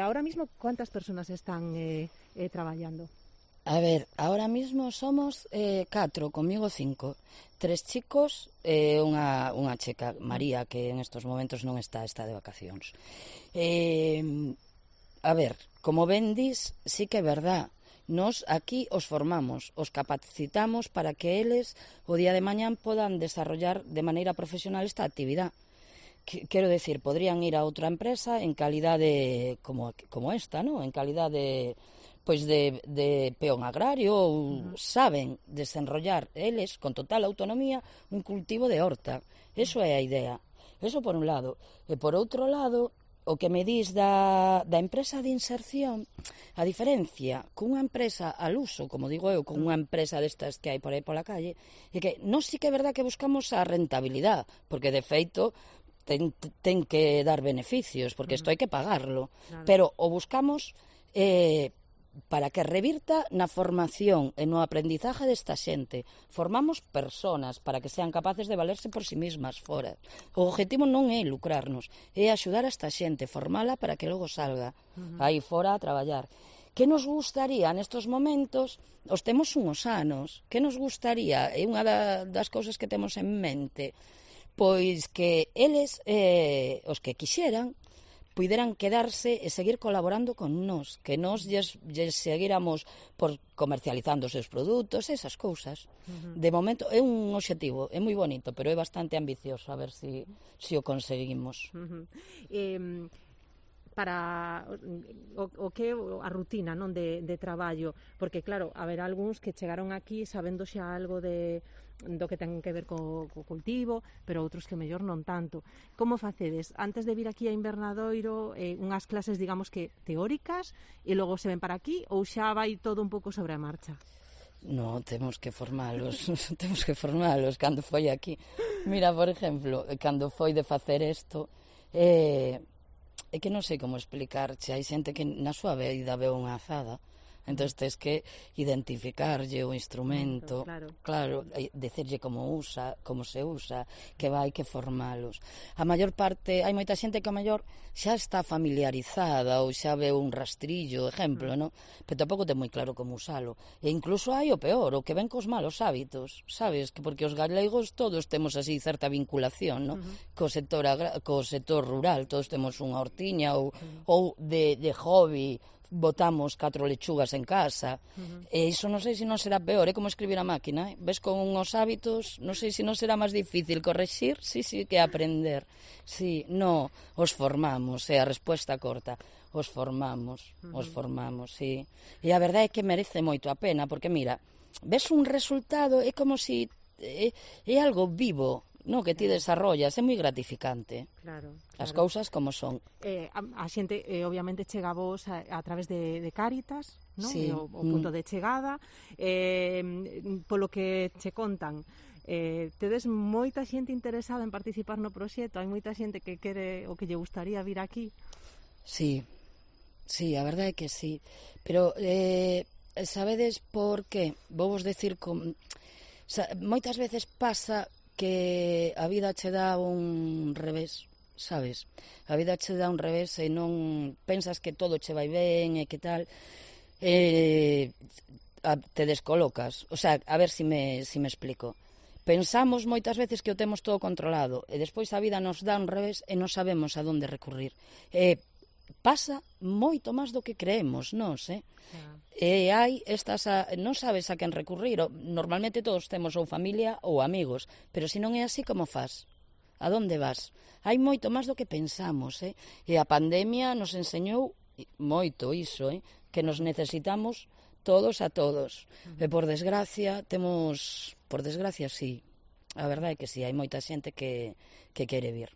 Ahora mismo, ¿cuántas personas están traballando? A ver, ahora mismo somos 4, comigo 5. 3 chicos e unha checa, María, que en estos momentos non está de vacacións. A ver, como ben dis, sí que é verdad. Nos aquí os formamos, os capacitamos para que eles o día de mañán podan desarrollar de maneira profesional esta actividade. Quero decir, podrían ir a outra empresa en calidade como esta, ¿no? En calidade pois de peón agrario ou saben desenrollar eles con total autonomía un cultivo de horta. Eso é a idea. Eso por un lado. E por outro lado, o que me dis da empresa de inserción, a diferencia cunha empresa al uso, como digo eu, con unha empresa destas que hai por aí pola calle, é que non sí que é verdad que buscamos a rentabilidade, porque de feito ten que dar beneficios, porque isto hai que pagarlo, claro. Pero o buscamos para que revirta na formación e no aprendizaje desta xente. Formamos personas para que sean capaces de valerse por si mismas fora. O objetivo non é lucrarnos, é axudar a esta xente, formala para que logo salga aí fora a traballar. Que nos gustaría nestes momentos? Os temos unhos anos. Que nos gustaría? É unha das cousas que temos en mente. Pois que eles, os que quixeran, puideran quedarse e seguir colaborando con nós, que nós lles seguíramos por comercializando os seus produtos, esas cousas. De momento é un obxectivo, é moi bonito, pero é bastante ambicioso, a ver se o conseguimos. Para o que a rutina, non, de traballo, porque claro, haberá algúns que chegaron aquí sabendo xa algo do que ten que ver co cultivo, pero outros que mellor non tanto. Como facedes? Antes de vir aquí a Invernadoiro, unhas clases, digamos que teóricas, e logo se ven para aquí, ou xa vai todo un pouco sobre a marcha? No, temos que formalos, cando foi aquí. Mira, por exemplo, cando foi de facer isto, é que non sei como explicarche, hai xente que na súa vida veu unha azada, entón tens que identificarlle o instrumento, claro, decirlle como se usa, que vai que formalos. A maior parte, hai moita xente que a maior xa está familiarizada ou xa veu un rastrillo, exemplo, non? Pero tampouco ten moi claro como usalo. E incluso hai o peor, o que ven cos malos hábitos, sabes? Porque os galegos todos temos así certa vinculación, non? Co sector rural, todos temos unha hortiña ou de hobby, botamos 4 lechugas en casa, e iso non sei se non será peor, é como escribir a máquina, ves con uns hábitos, non sei se non será máis difícil correxir, sí, que aprender. Sí, no, os formamos, é a resposta corta, os formamos, sí. E a verdade é que merece moito a pena, porque mira, ves un resultado, é como se é algo vivo, no, que ti desarrollas, é moi gratificante. Claro. As cousas como son. A xente, obviamente, chega a vos a través de Cáritas, non? Sí. O punto de chegada. Polo que che contan, tedes moita xente interesada en participar no proxecto, hai moita xente que quere ou que lle gustaría vir aquí. Sí, a verdade é que sí. Pero, sabedes por que? Vou vos decir moitas veces pasa que a vida che dá un revés, sabes? A vida che dá un revés e non pensas que todo che vai ben e que tal, te descolocas. O sea, a ver se me explico. Pensamos moitas veces que o temos todo controlado e despois a vida nos dá un revés e non sabemos a donde recurrir. Pasa moito máis do que creemos, nós, E hai estas, non sabes a quen recurrir. Normalmente todos temos ou familia ou amigos, pero se non é así, como fas? A donde vas? Hai moito máis do que pensamos, E a pandemia nos enseñou moito iso, que nos necesitamos todos a todos. E por desgracia, sí. A verdade é que sí, hai moita xente que quere vir.